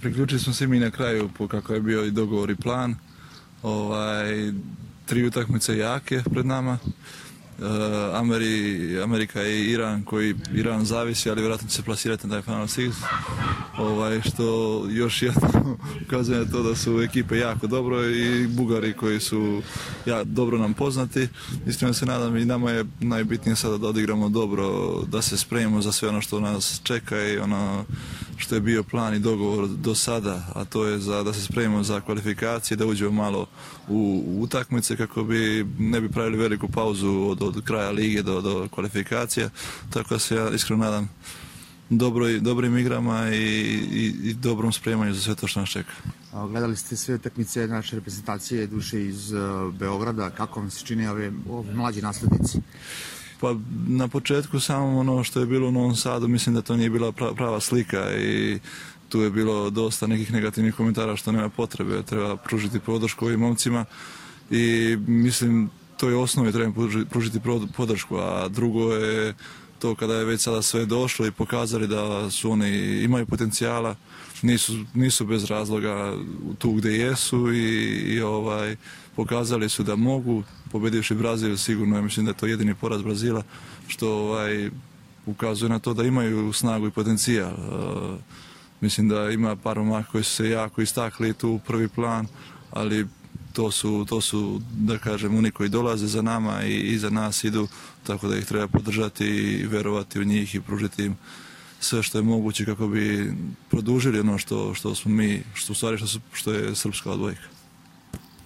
priključili smo se mi na kraju kako je bio i dogovor i plan. 3 utakmice jake pred nama. Amerika i Iran, koji Iran zavisi, ali vjerojatno će se plasirati na taj Final Six. Što još jedno ukazuje na to da su ekipe jako dobro i Bugari koji su dobro nam poznati. Iskreno se nadam i nama je najbitnije sada da odigramo dobro, da se spremimo za sve ono što nas čeka i ono što je bio plan i dogovor do sada, a to je da se spremimo za kvalifikacije, da uđemo malo u utakmice kako ne bi pravili veliku pauzu od kraja lige do kvalifikacija. Tako da se ja iskreno nadam dobrim igrama i dobrom spremanju za sve to što nas čeka. Gledali ste sve utakmice naše reprezentacije duše iz Beograda. Kako vam se čini ovi mlađi naslednici? Pa na početku samo ono što je bilo u Novom Sadu, mislim da to nije bila prava slika i tu je bilo dosta nekih negativnih komentara što nema potrebe. Treba pružiti podršku ovim momcima i mislim to je osnovi, treba pružiti podršku, a drugo je to kada je već sada sve došlo i pokazali da su oni imaju potencijala, nisu bez razloga tu gdje jesu i pokazali su da mogu, pobedivši Brazil sigurno, mislim da je to jedini poraz Brazila, što ukazuje na to da imaju snagu i potencijal. Mislim da ima par momaka koji su se jako istakli tu u prvi plan, ali to su da kažem oni koji dolaze za nama i iza nas idu, tako da ih treba podržati i verovati u njih i pružiti im sve što je moguće kako bi produžili ono što smo mi, što je srpska odbojka.